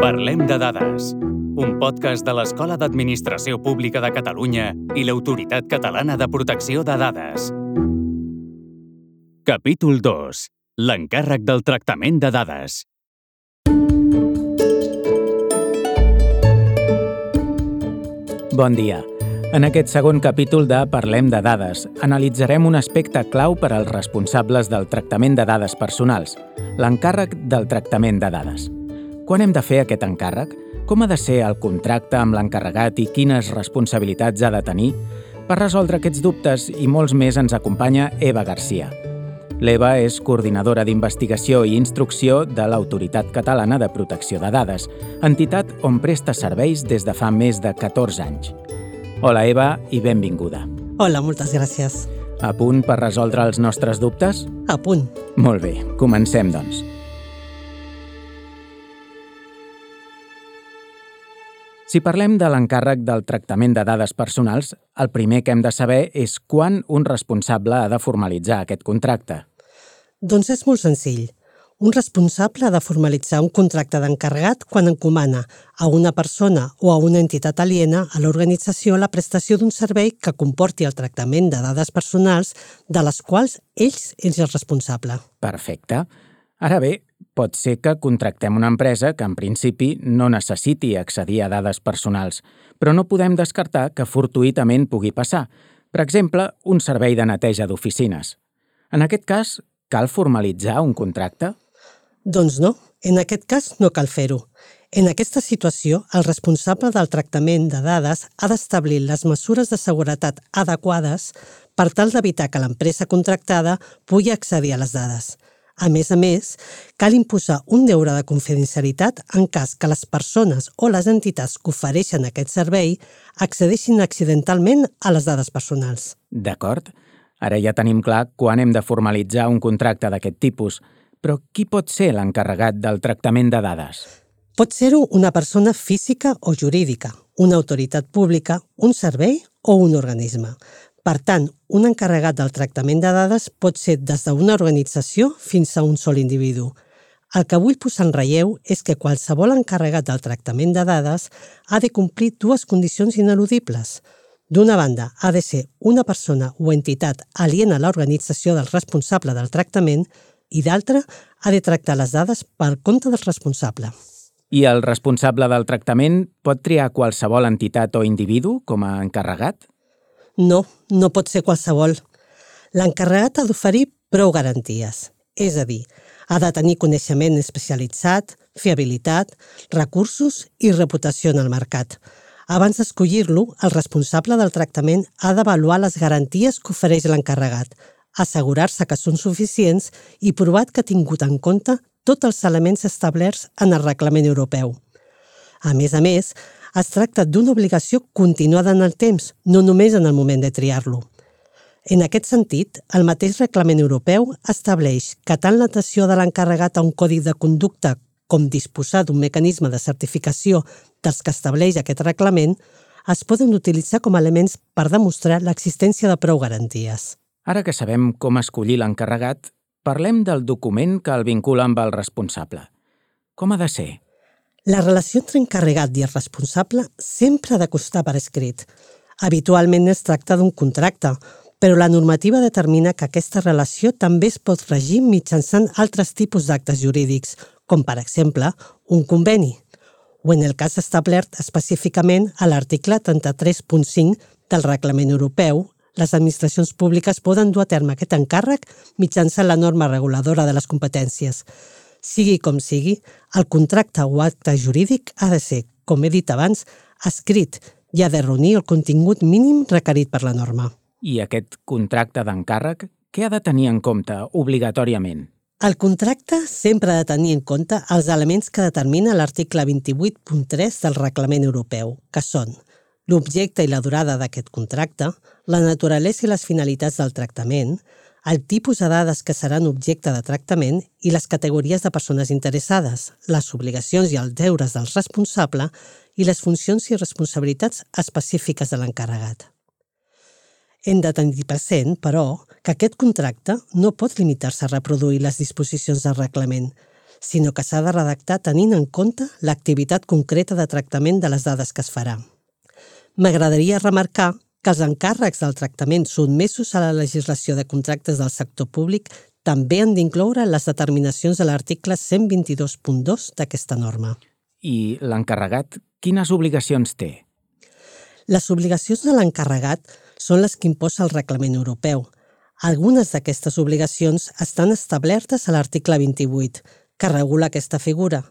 Parlem de dades, un podcast de l'Escola d'Administració Pública de Catalunya i l'Autoritat Catalana de Protecció de Dades. Capítol 2. L'encàrrec del tractament de dades. Bon dia. En aquest segon capítol de Parlem de dades, analitzarem un aspecte clau per als responsables del tractament de dades personals, l'encàrrec del tractament de dades. Quan hem de fer aquest encàrrec? Com ha de ser el contracte amb l'encarregat i quines responsabilitats ha de tenir? Per resoldre aquests dubtes i molts més ens acompanya Eva Garcia. L'Eva és coordinadora d'investigació i instrucció de l'Autoritat Catalana de Protecció de Dades, entitat on presta serveis des de fa més de 14 anys. Hola, Eva, i benvinguda. Hola, moltes gràcies. A punt per resoldre els nostres dubtes? A punt. Molt bé, comencem, doncs. Si parlem de l'encàrrec del tractament de dades personals, el primer que hem de saber és quan un responsable ha de formalitzar aquest contracte. Doncs és molt senzill. Un responsable ha de formalitzar un contracte d'encarregat quan encomana a una persona o a una entitat aliena a l'organització la prestació d'un servei que comporti el tractament de dades personals de les quals és el responsable. Perfecte. Ara bé, pot ser que contractem una empresa que en principi no necessiti accedir a dades personals, però no podem descartar que fortuïtament pugui passar. Per exemple, un servei de neteja d'oficines. En aquest cas, cal formalitzar un contracte? Doncs no, en aquest cas no cal fer-ho. En aquesta situació, el responsable del tractament de dades ha d'establir les mesures de seguretat adequades per tal d'evitar que l'empresa contractada pugui accedir a les dades. A més, cal imposar un deure de confidencialitat en cas que les persones o les entitats que ofereixen aquest servei accedeixin accidentalment a les dades personals. D'acord. Ara ja tenim clar quan hem de formalitzar un contracte d'aquest tipus. Però qui pot ser l'encarregat del tractament de dades? Pot ser-ho una persona física o jurídica, una autoritat pública, un servei o un organisme. Per tant, un encarregat del tractament de dades pot ser des d'una organització fins a un sol individu. El que vull posar en relleu és que qualsevol encarregat del tractament de dades ha de complir dues condicions ineludibles. D'una banda, ha de ser una persona o entitat aliena a l'organització del responsable del tractament i d'altra, ha de tractar les dades per compte del responsable. I el responsable del tractament pot triar qualsevol entitat o individu com a encarregat? No pot ser qualsevol. L'encarregat ha d'oferir prou garanties, és a dir, ha de tenir coneixement especialitzat, fiabilitat, recursos i reputació en el mercat. Abans d'escollir-lo, el responsable del tractament ha d'avaluar les garanties que ofereix l'encarregat, assegurar-se que són suficients i provar que ha tingut en compte tots els elements establerts en el reglament europeu. A més, es tracta d'una obligació continuada en el temps, no només en el moment de triar-lo. En aquest sentit, el mateix reglament europeu estableix que tant l'adhesió de l'encarregat a un codi de conducta com disposar d'un mecanisme de certificació dels que estableix aquest reglament es poden utilitzar com a elements per demostrar l'existència de prou garanties. Ara que sabem com escollir l'encarregat, parlem del document que el vincula amb el responsable. Com ha de ser? La relació entre encarregat i el responsable sempre ha de constar per escrit. Habitualment es tracta d'un contracte, però la normativa determina que aquesta relació també es pot regir mitjançant altres tipus d'actes jurídics, com per exemple un conveni, o en el cas establert específicament a l'article 33.5 del Reglament Europeu, les administracions públiques poden dur a terme aquest encàrrec mitjançant la norma reguladora de les competències. Sigui com sigui, el contracte o acte jurídic ha de ser, com he dit abans, escrit i ha de reunir el contingut mínim requerit per la norma. I aquest contracte d'encàrrec, què ha de tenir en compte obligatòriament? El contracte sempre ha de tenir en compte els elements que determina l'article 28.3 del Reglament Europeu, que són l'objecte i la durada d'aquest contracte, la naturalesa i les finalitats del tractament, el tipus de dades que seran objecte de tractament i les categories de persones interessades, les obligacions i els deures del responsable i les funcions i responsabilitats específiques de l'encarregat. Hem de tenir present, però, que aquest contracte no pot limitar-se a reproduir les disposicions del reglament, sinó que s'ha de redactar tenint en compte l'activitat concreta de tractament de les dades que es farà. M'agradaria remarcar que els encàrrecs del tractament sotmesos a la legislació de contractes del sector públic també han d'incloure les determinacions de l'article 122.2 d'aquesta norma. I l'encarregat, quines obligacions té? Les obligacions de l'encarregat són les que imposa el reglament europeu. Algunes d'aquestes obligacions estan establertes a l'article 28, que regula aquesta figura.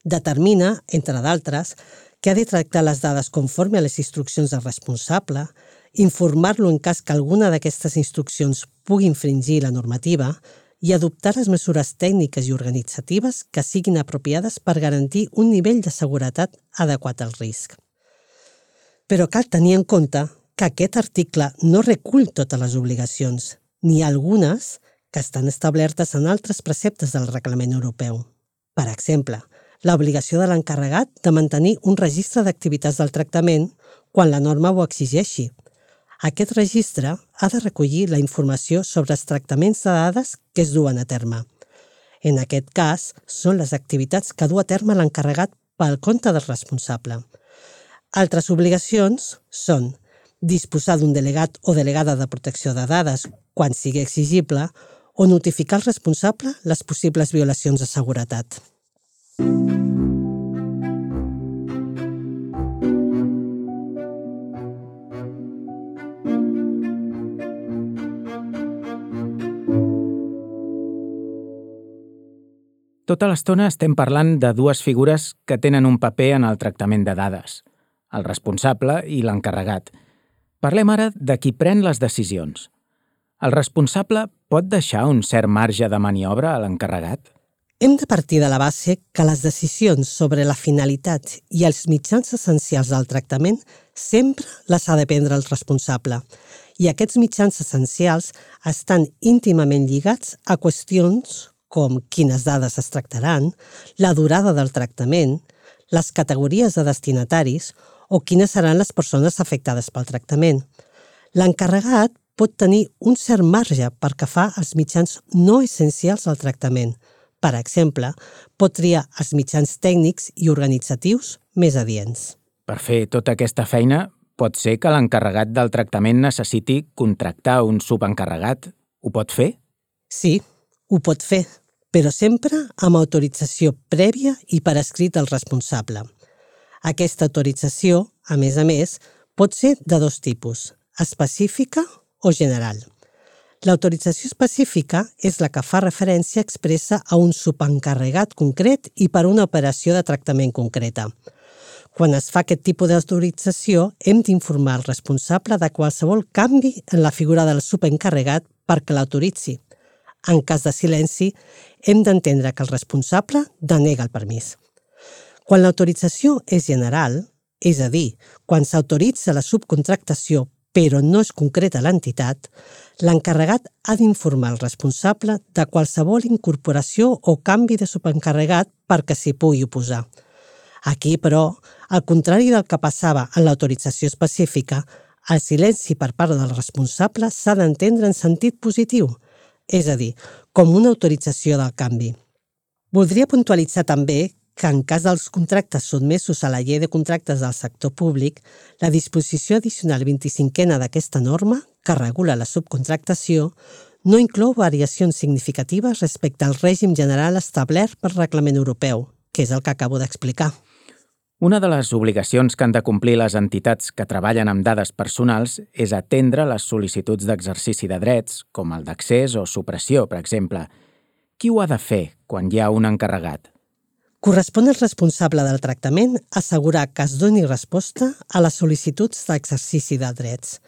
Determina, entre d'altres, que ha de tractar les dades conforme a les instruccions del responsable, informar-lo en cas que alguna d'aquestes instruccions pugui infringir la normativa i adoptar les mesures tècniques i organitzatives que siguin apropiades per garantir un nivell de seguretat adequat al risc. Però cal tenir en compte que aquest article no recull totes les obligacions, ni algunes que estan establertes en altres preceptes del reglament europeu. Per exemple, l'obligació de l'encarregat de mantenir un registre d'activitats del tractament quan la norma ho exigeixi. Aquest registre ha de recollir la informació sobre els tractaments de dades que es duen a terme. En aquest cas, són les activitats que du a terme l'encarregat pel compte del responsable. Altres obligacions són disposar d'un delegat o delegada de protecció de dades quan sigui exigible o notificar al responsable les possibles violacions de seguretat. Tota l'estona estem parlant de dues figures que tenen un paper en el tractament de dades, el responsable i l'encarregat. Parlem ara de qui pren les decisions. El responsable pot deixar un cert marge de maniobra a l'encarregat? Hem de partir de la base que les decisions sobre la finalitat i els mitjans essencials del tractament sempre les ha de prendre el responsable, i aquests mitjans essencials estan íntimament lligats a qüestions com quines dades es tractaran, la durada del tractament, les categories de destinataris o quines seran les persones afectades pel tractament. L'encarregat pot tenir un cert marge pel que fa als mitjans no essencials del tractament. Per exemple, pot triar els mitjans tècnics i organitzatius més adients. Per fer tota aquesta feina, pot ser que l'encarregat del tractament necessiti contractar un subencarregat. Ho pot fer? Sí, ho pot fer, però sempre amb autorització prèvia i per escrit del responsable. Aquesta autorització, a més, pot ser de dos tipus, específica o general. L'autorització específica és la que fa referència expressa a un subencarregat concret i per una operació de tractament concreta. Quan es fa aquest tipus d'autorització, hem d'informar el responsable de qualsevol canvi en la figura del subencarregat perquè l'autoritzi. En cas de silenci, hem d'entendre que el responsable denega el permís. Quan l'autorització és general, és a dir, quan s'autoritza la subcontractació però no es concreta l'entitat, l'encarregat ha d'informar el responsable de qualsevol incorporació o canvi de subencarregat perquè s'hi pugui oposar. Aquí, però, al contrari del que passava en l'autorització específica, el silenci per part del responsable s'ha d'entendre en sentit positiu, és a dir, com una autorització del canvi. Voldria puntualitzar també que en cas dels contractes sotmesos a la llei de contractes del sector públic, la disposició addicional 25a d'aquesta norma, que regula la subcontractació, no inclou variacions significatives respecte al règim general establert pel Reglament Europeu, que és el que acabo d'explicar. Una de les obligacions que han de complir les entitats que treballen amb dades personals és atendre les sol·licituds d'exercici de drets, com el d'accés o supressió, per exemple. Qui ho ha de fer quan hi ha un encarregat? Correspon al responsable del tractament assegurar que es doni resposta a les sol·licituds d'exercici de drets.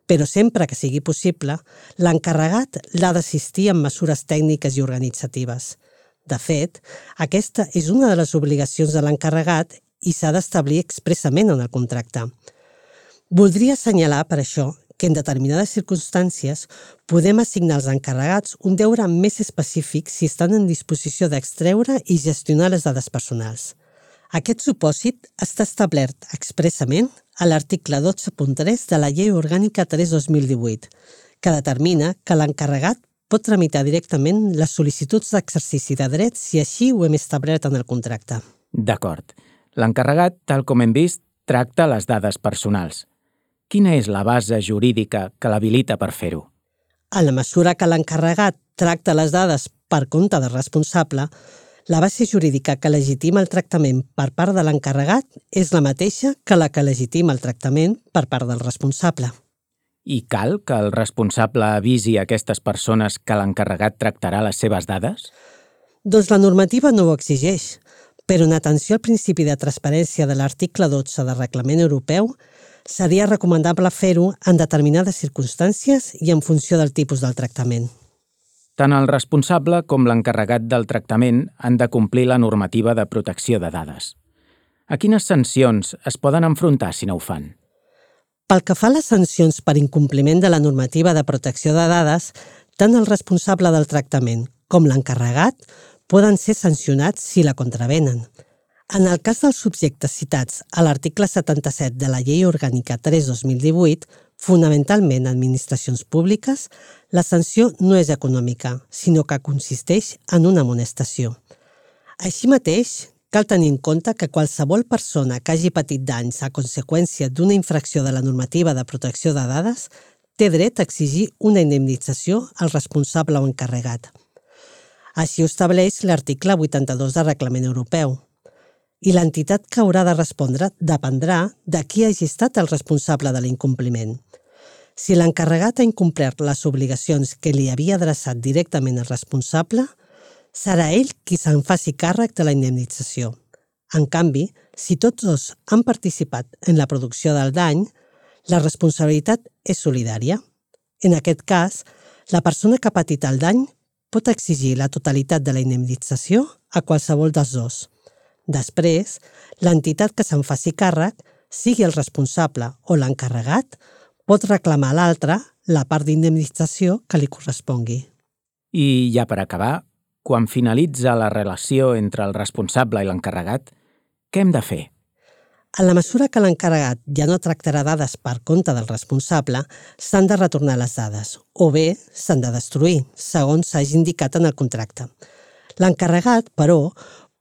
Però sempre que sigui possible, l'encarregat l'ha d'assistir amb mesures tècniques i organitzatives. De fet, aquesta és una de les obligacions de l'encarregat i s'ha d'establir expressament en el contracte. Voldria assenyalar, per això, que en determinades circumstàncies podem assignar als encarregats un deure més específic si estan en disposició d'extreure i gestionar les dades personals. Aquest supòsit està establert expressament a l'article 12.3 de la Llei Orgànica 3/2018, que determina que l'encarregat pot tramitar directament les sol·licituds d'exercici de drets si així ho hem establert en el contracte. D'acord. L'encarregat, tal com hem vist, tracta les dades personals. Quina és la base jurídica que l'habilita per fer-ho? En la mesura que l'encarregat tracta les dades per compte del responsable, la base jurídica que legitima el tractament per part de l'encarregat és la mateixa que la que legitima el tractament per part del responsable. I cal que el responsable avisi a aquestes persones que l'encarregat tractarà les seves dades? Doncs la normativa no ho exigeix, però en atenció al principi de transparència de l'article 12 del Reglament Europeu, seria recomanable fer-ho en determinades circumstàncies i en funció del tipus del tractament. Tant el responsable com l'encarregat del tractament han de complir la normativa de protecció de dades. A quines sancions es poden enfrontar si no ho fan? Pel que fa a les sancions per incompliment de la normativa de protecció de dades, tant el responsable del tractament com l'encarregat poden ser sancionats si la contravenen. En el cas dels subjectes citats a l'article 77 de la Llei Orgànica 3/2018, fonamentalment administracions públiques, la sanció no és econòmica, sinó que consisteix en una amonestació. Així mateix, cal tenir en compte que qualsevol persona que hagi patit danys a conseqüència d'una infracció de la normativa de protecció de dades té dret a exigir una indemnització al responsable o encarregat. Així ho estableix l'article 82 del Reglament Europeu. I l'entitat que haurà de respondre dependrà de qui hagi estat el responsable de l'incompliment. Si l'encarregat ha incomplert les obligacions que li havia adreçat directament al responsable, serà ell qui se'n faci càrrec de la indemnització. En canvi, si tots dos han participat en la producció del dany, la responsabilitat és solidària. En aquest cas, la persona que ha patit el dany pot exigir la totalitat de la indemnització a qualsevol dels dos. Després, l'entitat que se'n faci càrrec, sigui el responsable o l'encarregat, pot reclamar a l'altre la part d'indemnització que li correspongui. I ja per acabar, quan finalitza la relació entre el responsable i l'encarregat, què hem de fer? En la mesura que l'encarregat ja no tractarà dades per compte del responsable, s'han de retornar les dades, o bé s'han de destruir, segons s'hagi indicat en el contracte. L'encarregat, però,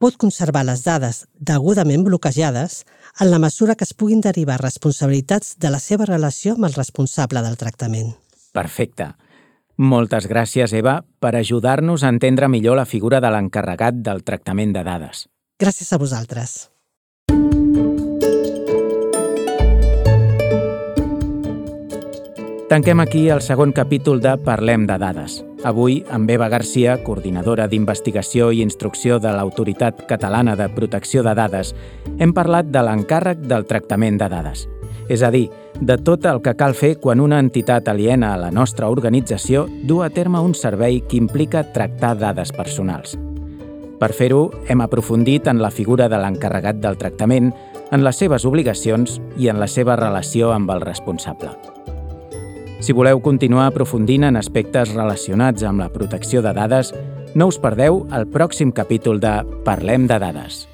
pot conservar les dades degudament bloquejades en la mesura que es puguin derivar responsabilitats de la seva relació amb el responsable del tractament. Perfecte. Moltes gràcies, Eva, per ajudar-nos a entendre millor la figura de l'encarregat del tractament de dades. Gràcies a vosaltres. Tanquem aquí el segon capítol de Parlem de dades. Avui, amb Eva Garcia, coordinadora d'investigació i instrucció de l'Autoritat Catalana de Protecció de Dades, hem parlat de l'encàrrec del tractament de dades. És a dir, de tot el que cal fer quan una entitat aliena a la nostra organització du a terme un servei que implica tractar dades personals. Per fer-ho, hem aprofundit en la figura de l'encarregat del tractament, en les seves obligacions i en la seva relació amb el responsable. Si voleu continuar aprofundint en aspectes relacionats amb la protecció de dades, no us perdeu el pròxim capítol de Parlem de dades.